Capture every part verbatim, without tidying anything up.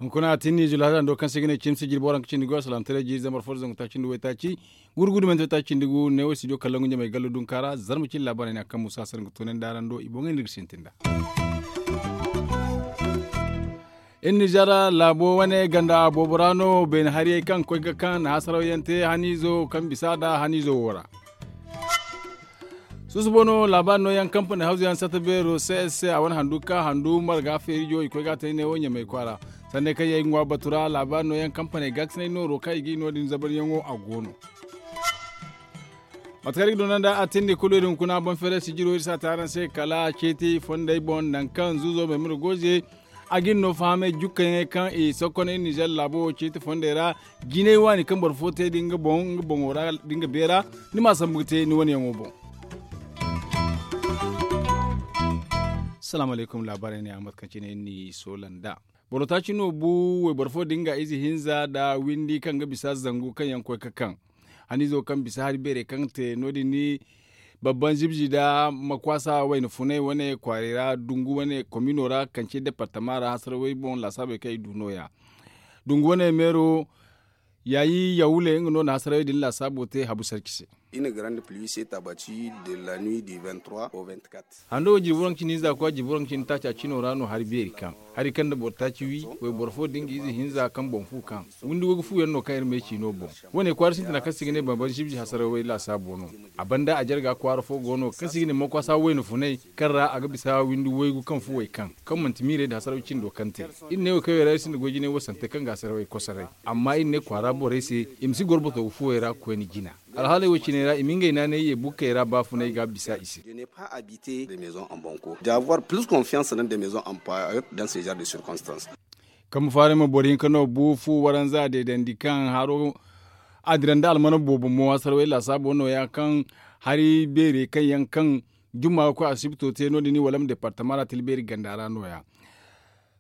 Hunkuna a tinni zulaada ndo kaŋ se ga ne cimsi jirbi waranka cindi goy salaamtaray jiiri zambar fo da zangu taaci nda waytaaci gurgudu mente taaci nda gu neewo studio kallon ga ɲamay gallo dunka ra zarma cindi laabaarey ne a kaŋ musa sara ga toonandi araŋ do i boŋey no iri ga sintin nd'a. Iri nizer laabo wane ganda boobo ra no beene hariyey kaŋ koy ga kaŋ na hasaraw yaŋ te haniizo kaŋ bisa nd'a haniizo wo ra. Susubo no laabaari nooyaŋ kampani hawzu yaŋ sata beero c s c a wane handu ka handu marga feerijo i koy ga a te ne wo ɲamay kwaara. Sanney kaŋ yaŋ ay ga ŋwa batu ra laabaari nooyaŋ kampaney gaakasinay nooro kaŋ i ga i no- din zabaryaŋo a go no. Mate kaŋ iri ga doona nd'a a tindi kulu iri hunkuna boŋ feeray sijiro iri si a te araŋ se kala ceeti fondey boŋ nangu kaŋ zuuzo maymuna gooze a ga iri no fahamay jukkayaŋey kaŋ i sokkonay nizer laabo wo ceeti fondey ra. Jinay waani kaŋ boro fo te da nga boŋo ra da nga beera ni ma a sambu ga te ni wane yaŋo boŋ. Salaamu alaykum laabaarey ne a mate kaŋ cine iri n'i soola nd'a. Boro taaci no bu wayboro fo da nga ize hinza nda windi kaŋ ga bisa zangu kaŋ yaŋ koy ga kaŋ haniizo kaŋ bisa hari beerey kaŋ te no- din ni babban zibzi nda makwaasa wayna funay wane kwaarey ra dungu wane komino ra kance departama ra hasarawey boŋ laasaabey kaŋ i du nooya. Dungu wane meero yaayi yawule nga no na hasarawey din laasaabo te habu sarki se. Iri na grande pluie se tabaci de la nuit du vingt trois au vingt quatre. Hando wo jirbi waranka cindi hinza ga koy jirbi waranka cindi taaca cino ra no hari beeri kaŋ hari kaŋ nda boro taaci wi wayboro fo da nga ize hinza kaŋ boŋ fu kaŋ windi waygu fu yaŋ no kaŋ iri ma ay ciino boŋ. Wane kwaara sintina kaŋ se i ga ne bambam zibzi hasarawey laasaabo no. A banda a jarga kwaara fo go no kaŋ se i ga ne makwasa wayna funay kaŋ ra a ga bisa windi waygu kaŋ fu way kaŋ kaŋ manti miirey nda hasaraw cindo kaŋ te. Iri ne wo kaŋ yaŋ ra iri sinda goy jinay wo sante kaŋ ga hasarawey kosoray. Amma iri ne kwaara borey se i ma si goro botogu fuwey ra koyne jina. Alhaaley wo cine ra i ma ngey naanay ye bukkey ra baafunay ga bisa i se. D'avoir plus confiance dans des maisons en paillotte dans ce genre de circonstances. Kambe faaray ma boro hinka no bu fu waranza deedandi kaŋ haro a dira nda almana boobo mo hasarawey laasaabo nooya kaŋ hari beerey kaŋ yaŋ kaŋ jumma ga koy asibito te no- din walam departama ra tilbeeri ganda ra nooya.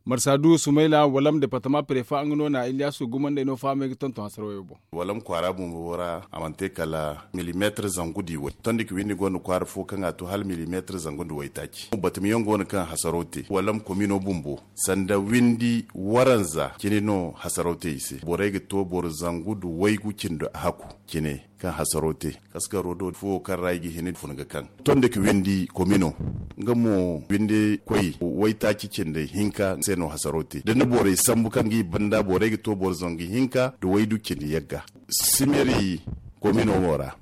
Marsa du sumayla walam departama prefa nga no na iliyaasu gumandey no fahamey ga tonton hasarawey boŋ. Walam kwaara bumbo ra a mana te kala milimeetar zangu nda iway tondi ka windi gonda kwaara fo kaŋ a to hala milimeetar zangu nda waytaaci batamiyaŋ go no kaŋ hasaraw te walam komino bumbo sanda windi waranza cine no hasaraw te i se borey ga to boro zangu nda waygu cindi haku cine kaŋ hasaro te kaskaro do fuwo kaŋ ra i ga hin fun ga kaŋ tondi ka windi komino nga mo windi koy waytaaci cindi hinka se no hasaro te da ni borey sambu kaŋ ga i banda borey ga to boro zangu hinka da waydu cindi yagga simeri komino wo ra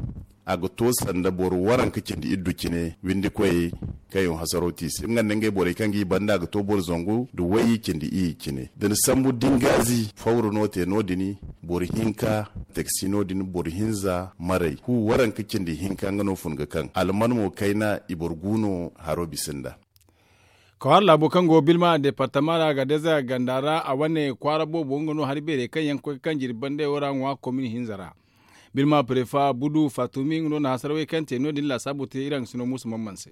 a ga to sanda boro waranka cindi iddu cine windi koyey kaŋ yaŋ hasaro te i se nga nda ngey borey kaŋ ga i banda a ga to boro zangu da wayye cindi iyye cine da ni sambu dingaazi fawra no te no- din boro hinka taksi no- din boro hinza maray hu waranka cindi hinka nga no fun ga kaŋ alman mo kayna i boro gu no haro bisa nda. Kawar laabo kaŋ go bilma departama ra ga deza ganda ra a wane kwaara boobo nga no hari beerey kaŋ yaŋ ga koy ga kaŋ jirbi bandey wo ra ŋwa komini hinza ra. Bilma prefa budu fatumi nga no na hasarawey kaŋ te no- din laasaabo te iri haŋ ga sino muusa mamman se.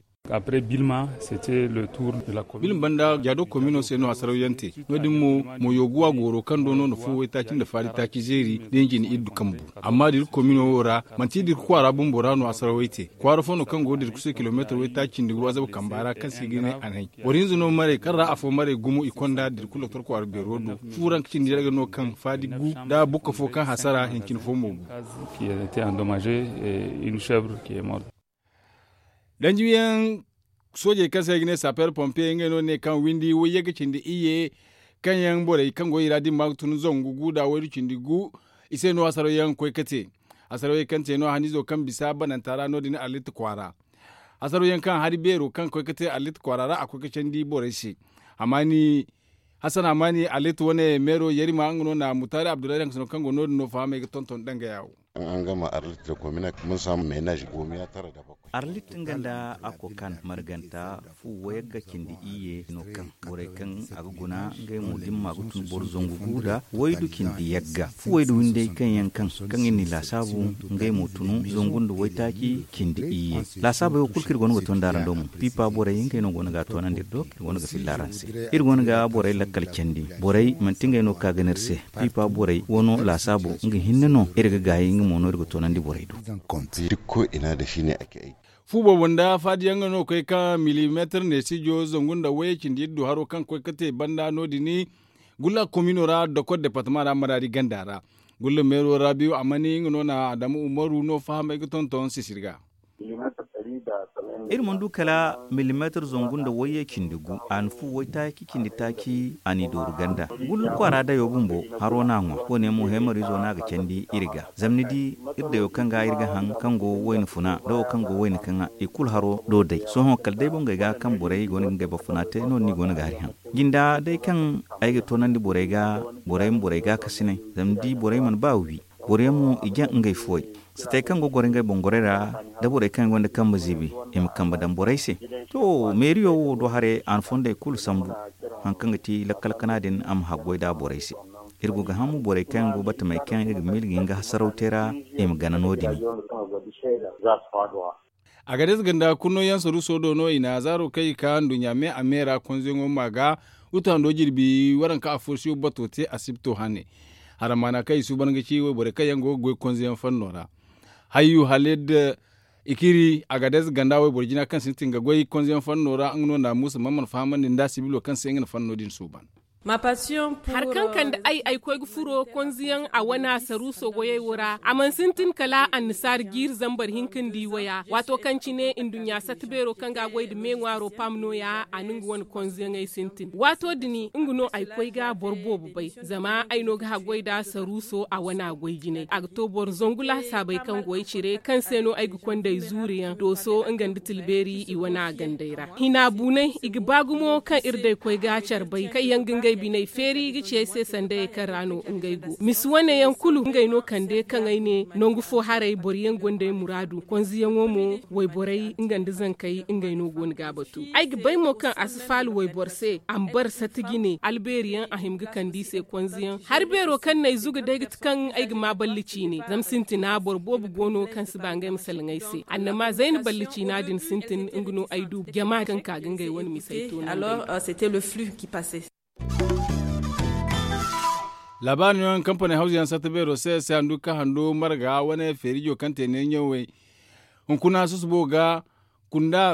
Bilma banda jaado komino se no hasaraw yaŋ te no- din mo moyo guwa gooro kaŋ do no na fo waytaaci nda faari taaci zeeri da hinji na iddu kambu. Amma da iri komino wo ra manti da iri kwaara bumbo ra no hasarawey te kwaara fo no kaŋ go da iri kusa kilomeetar waytaaci nda gu azaba kamba ra kaŋ se i ga ne anay boro hinza no maray kaŋ ra afo maray gumo i konda da iri kulu doktor kwaara beero do fu ranka cindi yalga no kaŋ faadi gu nda bukka fo kaŋ hasara hincine fo mo gu. Danjiwiyaŋ soojey kaŋ se i ga ne saper pompier ngey no ne kaŋ windi wayye ga cindi iyye kaŋ yaŋ borey kaŋ go i ra dimma ga tun zangu gu da waydu cindi gu i se no hasaraw yaŋ ga koy ga te. Hasaraw yaŋ kaŋ te no haniizo kaŋ bisa bananta ra no- din arlit kwaara hasaraw yaŋ kaŋ hari beero kaŋ koy ga te arlit kwaara ra a koy ga candi borey se. Hasan hamani arlit wane meero yarima nga no na mutaari abdullahi daŋ ga sino kaŋ go no- din no fahamey ga tonton danga yaawo. An gama arlit da komina mun samu meenaaz gomiya tara da bakwai. Arlit nga nda a kokan marganta fu wayagga cindi iyye no kaŋ borey kaŋ a ga guna ngey mo dimma ga tun boro zangu gu da waydu cindi yagga fu waydu windey kaŋ yaŋ kaŋ kaŋ i n'i laasaabu ngey mo tunu zangu nda waytaaci cindi iyye. Laasaabey wo kulu kaŋ iri go no ga to nda araŋ do mo piipa borey ngey no go no ga a toonandi iri do kaŋ iri go no ga filla araŋ se. Iri go no ga borey lakkal candi borey manti ngey no ka ga no iri se. Piipa borey wano laasaabo nga hinne no iri ga gaayi nga mo no iri ga toonandi borey do. Fu boobo nda faadiyaŋ no koy ka milimeetar neesijo zangu nda wayey cindi yaddu haro kaŋ koy ka te banda no- din gulla komino ra dokor departama ra maraadi ganda ra. Gulla meero rabiyo a mani nga no na adamu umaru no fahamay ga tonton sisir ga. Iri mana du kala milimeetar zangu nda wayey cindi gu a na fu waytaaci cindi taaci a n'i dooru ganda. Gulla kwaara dayo bumbo haro no a ŋwa wo- ne mo heemarizo no a ga candi iri ga zama ni di iri dayo kaŋ ga iri ga haŋ kaŋ go wayna funa nda wo kaŋ go wayna kaŋa i kulu haro do day sohõ kala day bongey ga kaŋ borey go no ga ngey boro funa te no- din i go no ga hari haŋ. Jinda day kaŋ ay ga toonandi borey ga borey ma borey gaakasinay zama ni di borey mana ba wi. Boro yaŋ mo i jaŋ ngey fuwey satey kaŋ go goro ngey boŋ gorey ra da borey kaŋ gonda kambe ziibi i ma kambe daŋ borey se. To meeriyo wo do haray a na fondey kulu sambu. Hari kaŋ ga ti lakkal kana din a ma haggoy nd'a borey se. Iri go ga hã mo borey kaŋ yaŋ go batamey kaŋ iri ga miila ga hin ga hasaraw te ra i ma gana no- din. Agades ganda kurno yaŋ saruuso do no i na zaaro kaŋ i ka nduɲɲa me a me ra konzeyaŋo ma ga. Utu hando jirbi waranka afoosiyo bato te asibto hane. Haramaana kaŋ i suuban ga ci wayborey kaŋ yaŋ go ga goy konzeyaŋ fanno ra. Hayyu halid ikiri agades ganda wayboro jina kaŋ sintin ga goy konzeyaŋ fanno ra nga no na muusa man mana fahamandi nda sibilo kaŋ se nga na fanno din suuban. Hari kaŋ kande ay ay koy ga furo konziyaŋ a wana saruuso goyey wo ra a mana sintin kala annasaari jiiri zambar hinka nda i waya waato kaŋ cine nduɲɲa satta beero kaŋ ga a goy nda me ŋwaaro paam nooya a na nga wane konziyaŋey sintin waato din nga no ay koy ga boro boobo bay. Zama ay no ga haggoy nd'a saruuso a wana goy jinay a ga to boro zangu laasaabey kaŋ go ay cire kaŋ se no ay ga konday zuuriyaŋ dooso nga nda tilbeeri i wana gandey ra hina buunay i ga ba gumo kaŋ iri day koy ga care bay kaŋ yaŋ ga ngey biney feeri ga ci ay se sanda ye kaŋ ra no ngey go misi wane yaŋ kulu ngey no kande kaŋ ay ne nangu fo haray boro yaŋ gonda ay muraadu konziyaŋo mo wayborey nga nda zankey ngey no go no ga a batu ay ga bay mo kaŋ a si faalu wayboro se a ma bara sata jine albeeri yaŋ a hima ga kande i se konziyaŋ hari beero kaŋ no ay zuga day ga ti kaŋ ay ga ma balli ciine zama sintina boro boobo go no kaŋ si ba ngey ma salaŋ ay se annama zayna balli ciina din sintin nga no ay du jama kaŋ ka ga ngey wane misey to no alors c'était le flux qui passait. Laabaari no yaŋ kampaney hawzu yaŋ satta beero se se handu ka hando marga wane feerijo kaŋ te ne ɲawey hunkuna susubo ga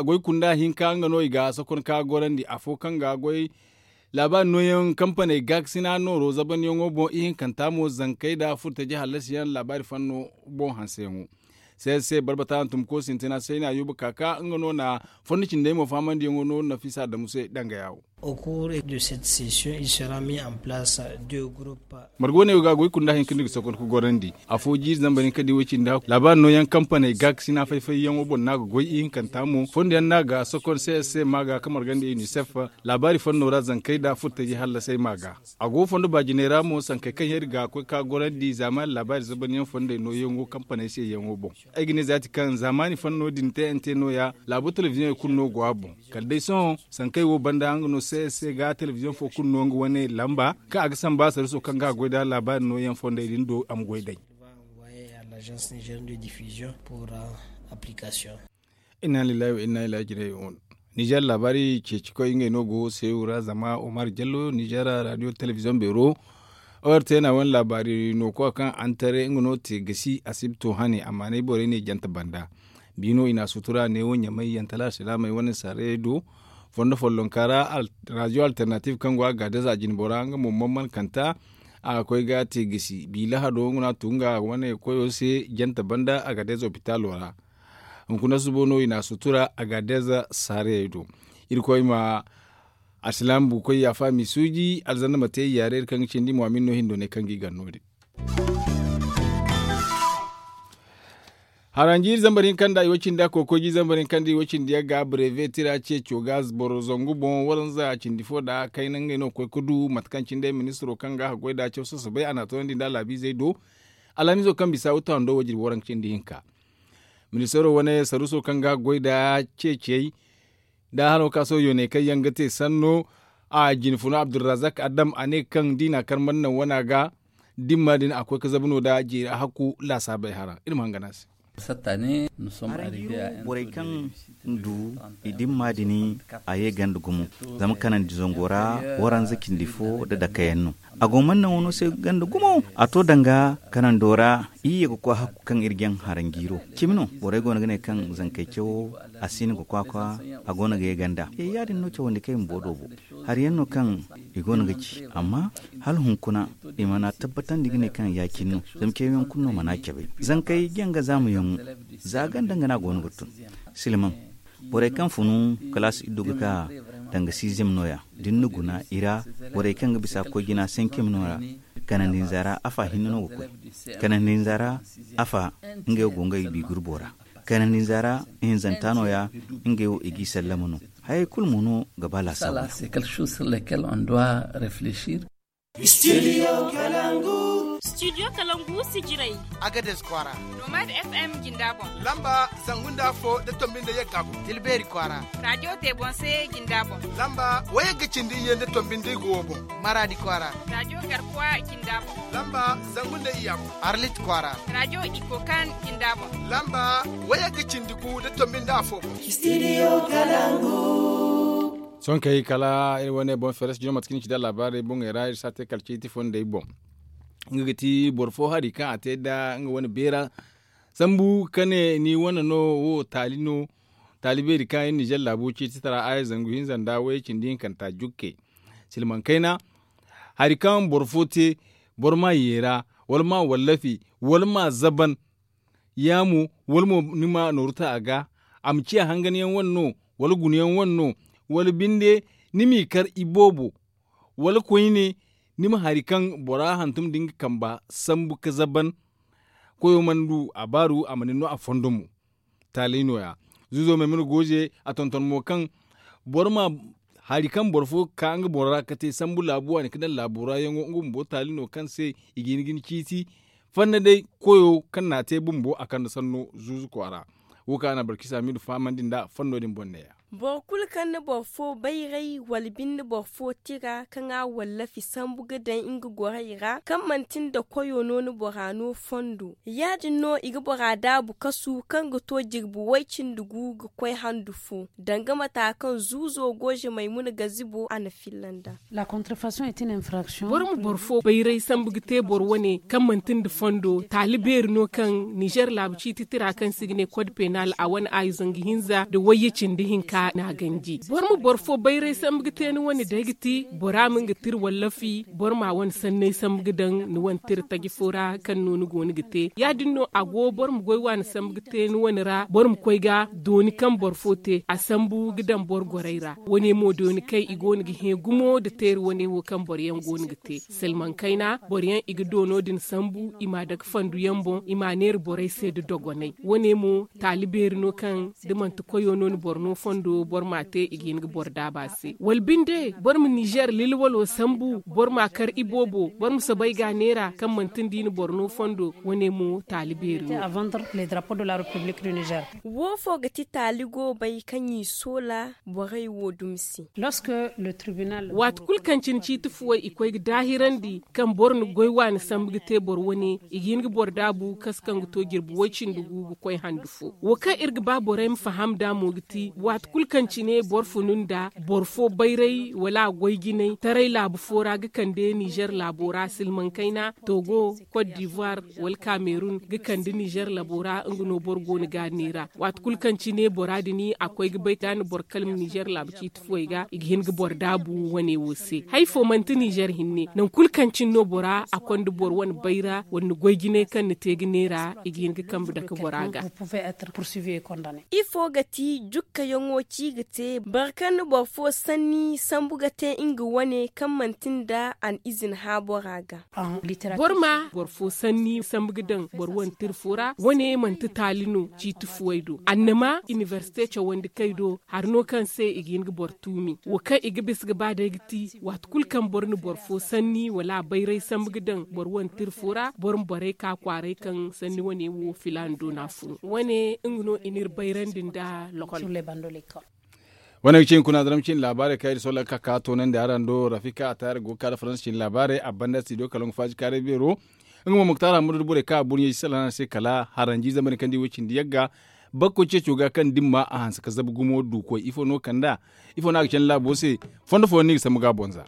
goy kunda hinka nga no i ga sokon ka gorandi afo kaŋ ga goy laabaari nooyaŋ kampaney gaakasina nooro zabanyaŋo boŋ ihinkanta mo zankey nda furtaji hallasiyaŋ laabaari fanno boŋ hanseyaŋo. Seese barbata hantumko sintina sayna yuba kaka nga no na fondo cindey mo fahamandiyaŋo no nafisa adamu se danga yawo. Margo ne ga goy kunda hinka ni ga sokon ka gorandi afo jiiri zamba ni ka di way cindi hakku laabaari nooyaŋ kampaney gaakasina fay-fayyaŋo boŋ no a ga goy ihinkanta mo fondo yaŋ no a ga sokon se se ma ga ka margandi unicef. Laabaari fanno ra zankey nda furtaji hallasay ma ga a go fondo baajiney ra mo sankey kaŋ yaŋ iri ga koy ka gorandi zaamaani laabaari zabanyaŋ fondey nooyaŋo kampaney se yaŋo boŋ. Ay ga ne zaati kaŋ zaamaani fanno din te ante nooya laabo telebiziyoŋey kulu no go a boŋ. Kala day sohõ sankey wo banda nga no se ga telebiziyoŋ fo kulu no nga wane lamba kaŋ a ga samba sarriso kaŋ ga a goy nda laabaari nooyaŋ fondey din do a ma goy day. Inna lillahi wa inna ilaihi raji'un. Nijar laabaari ceeci koy ngey no go seewu ra zama omar jallo nijar radio telebiziyoŋ beero. Ortena wane laabaari no koy kaŋ antare nga no te gasi asibto hane amma nay borey ne jante banda. Biino i na sutura neewo ɲamay yantala alsilaamey wane saarayey do. Fondo follonka ra radio alternative kaŋ go a ga deza jinbora nga mo mamman kanta. A ga koy ga te gasi bi lahado nga no a tu nga wane koyo se jante banda a ga deza opitalo ra. Hunkuna subo no i na sutura a ga deza saarayey do. Irkoy ma alsilaama buukoy yaafa m'i suuji alzanda ma te i yaare iri kaŋ ga cindi muhammad no hindo ne kaŋ ga i gar no- din. Haranji zambar hinka nda i wo cindi a kokoji zambar hinka nda i wo cindi yagga breve tira ceeco ga boro zangu boŋ waranza cindi fo nda kayna ngey no ga koy ga du mate kaŋ cindey ministiro kaŋ ga haggoy nda caw sasabay a na a toonandi nda laabiizey do. Alhamizo kaŋ bisa wuta hando wo jirbi waranka cindi hinka. Ministaro wane saruuso kaŋ ga goy nda ceecey nda hano ka sohõ yooney kaŋ yaŋ ga te sanno a jinfuno abdulrazak adam a ne kaŋ da i na a kar mana naŋ wana ga dimma din a koy ga zabu no nda jeeri a hakku laasaabey hara iri ma hangan a se. Araŋ jiiro borey kaŋ du i dimma din a ye ganda gumo zama kanandi zango ra waranza cindi fo nda dakayaŋ no. A go mana naŋ wano se ganda gumo a to danga kanando ra. Iri ye ga koy hakku kaŋ iri jaŋ haranjiiro cimi no borey go no ga ne kaŋ zankey cawo a si no ga kwakwa a go no ga ye ganda. Yaadin no cawandi kaŋ i ma boro do bo hari yaŋ no kaŋ i go no ga ci amma hala hunkuna i mana tabbatandi ga ne kaŋ ya- cine no. Zama cawyaŋ kulu no mana cabe zankey janga zaama yaŋo za ganda nga no a go no ga tun. Silmaŋ borey kaŋ funu kalaasi iddu ga ka danga siizem no- ya da ni na guna i ra borey kaŋ ga bisa koy jina sancem no- ya. Kanandi hinza ra afa hinne no ga koy kanandi hinza ra afa ngey wo go ngey biigurbo ra. Kanandi hinza ra ihinzanta no- ya ngey wo i g'i sallama no. Hayey kulu mo no ga ba laasaabu. Studio kalangu sijirey. Agades kwaara. Nomad f m jinda boŋ. Lamba zangu nda afo nda tombi nda yagga boŋ. Tilbeeri kwaara. Radiyo te boŋ se jinda boŋ. Lamba wayagga cindi iyye nda tombi nda igo wo boŋ. Maradi kwaara. Radiyo garkuwa jinda boŋ. Lamba zangu nda iyya boŋ. Arlit kwaara. Radiyo ikokan jinda boŋ. Lamba wayagga cindi gu nda tombi nda afo boŋ. Sohõ kay kala iri wane boŋ feres jino mate kaŋ ni ci da laabaarey boŋey ra iri si a te kala ciiti fondey boŋ. Nga ga ti boro fo hari kaŋ a te nda nga wane beera sambu ka ne ni wane no wo taali no. Taali beeri kaŋ iri nizer laabo ciiti tara aya zangu hinza nda wayey cindi hinkanta jukke. Silmaŋ kayna hari kaŋ boro fo te boro ma yeera wala ma wallafi wala ma zaban. Ya mo wala mo ni ma nooru ta a ga a ma ciya hanganyaŋ wane no wala gunayaŋ wane no wala binde ni m'i kar iboobo wala koyne ni ma hari kaŋ bora hantum da nga kamba sambu ga zaban. Koyo mana du a baaru a mana ni no a fondo mo. Taalay no- ya zuuzo maymuna gooze a tonton mo kaŋ boro ma hari kaŋ boro fo ga ka nga boŋ ra ga te sambu laabu waani ga daŋ laabo ra yaŋo nga bumbo taali no kaŋ se i ga hin ga ni ciiti. Fanna day koyo kaŋ n'a te bumbo a kande sanno zuuzu kwaara. Wo kaŋ a na barkisa miidu fahamandi nd'a fanno din boŋ neeya. Boro kulu kaŋ na boro fo bayray wala binde boro fo tira kaŋ a wallafi sambu ga daŋ nga gorey ra kaŋ manti nda koyo no na bora no fondo ya-din no i ga bora daabu kasu kaŋ ga to jirbi way-cindi gu ga koy handu fo. Danga mata kaŋ zuuzo gooze maymuna gazibo a na filla nd'a. Boro ma boro fo bayray sambu ga te boro wane kaŋ manti nda fondo taali beeri no kaŋ nizer laabu ciiti tira kaŋ se i ga ne kod penal a wane aayi zangu hinza nda wayye cindi hinka n'a ganji boro ma boro fo bayray sambu ga te ni wane day ga ti bora ma nga tira wallafi boro ma a wane sanney sambu ga daŋ ni wane tira taji fo ra kaŋ no ni go ni ga te ya- din no a go boro ma goy waani sambu ga te ni wane ra boro ma koy ga dooni kaŋ boro fo te a sambu ga daŋ boro gorey ra. Wane mo dooni kaŋ i go no ga hẽ gumo nda teeri wane wo kaŋ boro yaŋ go no ga te salmaŋ kayna boro yaŋ i ga doono din sambu i m'a dake fandu yaŋ boŋ i m'a neera borey se nda dogonay wane mo taali beeri no kaŋ da manti koyo no ni boro no fondo boro m'a te i ga hin ga boro daaba se wala binde boro ma nizer lilwalo sambu boro m'a kar iboobo boro ma soobay ga a neera kaŋ manti nda i na boro no fondo wane mo taali beeri no. Wo fo ga ti taali goobay kaŋ i soola borey wo dumi se. Waati kulu kaŋ cine ciiti fuwey i koy ga daahirandi kaŋ boro na goy waani sambu ga te boro wane i ga hin ga boro daabu kasu kaŋ ga to jirbi way-cindi gu ga koy handu fo wo kaŋ iri ga ba borey ma faham nd'a mo ga ti waati kulu kaŋ cine boro funu nd'a boro fo bayray wala a goy jinay taray laabu fo ra ga kande nizer laabo ra silmaŋ kayna togo kot divoir wala kamerun ga kande nizer laabo ra nga no boro go no ga a neera waati kulu kaŋ cine bora din a koy ga bay da a na boro kalma nizer laabu ciiti fuwey ga i ga hin ga boro daabu wane wo se hari fo manti nizer hinne nangu kulu kaŋ cine no bora a konda boro wane bayra wala ni goy jinay kaŋ ni te ga neera i ga hin ga kambe dake bora ga. Ifo ga ti jukkayaŋo ci ga te boro kaŋ na boro fo sanni sambu ga te nga wane kaŋ manti nda a na izina hã bora ga. Boro ma boro fo sanni sambu ga daŋ boro wane tira fo ra wane manti taali no ciiti fuwey do annama inibersite cawandi kay do hari no kaŋ se i ga hin ga boro tuumi wo kaŋ i ga bisa ga ba day ga ti waati kulu kaŋ boro na boro fo sanni wala a bayray sambu ga daŋ boro wane tira fo ra boro ma borey ka kwaaray kaŋ sanni wane wo filaana do no a fun wane nga no i n'iri bayrandi nda lokol. Wane ga ci hunkuna daram cine laabaarey kaŋ iri sohõ laŋ ga ka ka toonandi araŋ do rafika a taari go ga ka nda faransa cine laabaarey a banda studio kala nga faaji kaaray beero. Nga mo muktar hammadu da borey kaŋ a burɲey si salaŋ a se kala haranji zamani kaŋ di wo cindi yagga bakko ceeco ga kaŋ dimma a hanse ka zabu gumo du koy ifo no kand'a? Ifo no a ga candi laabo se? Fondo fooyaŋ no i ga sambu ga a boŋ za.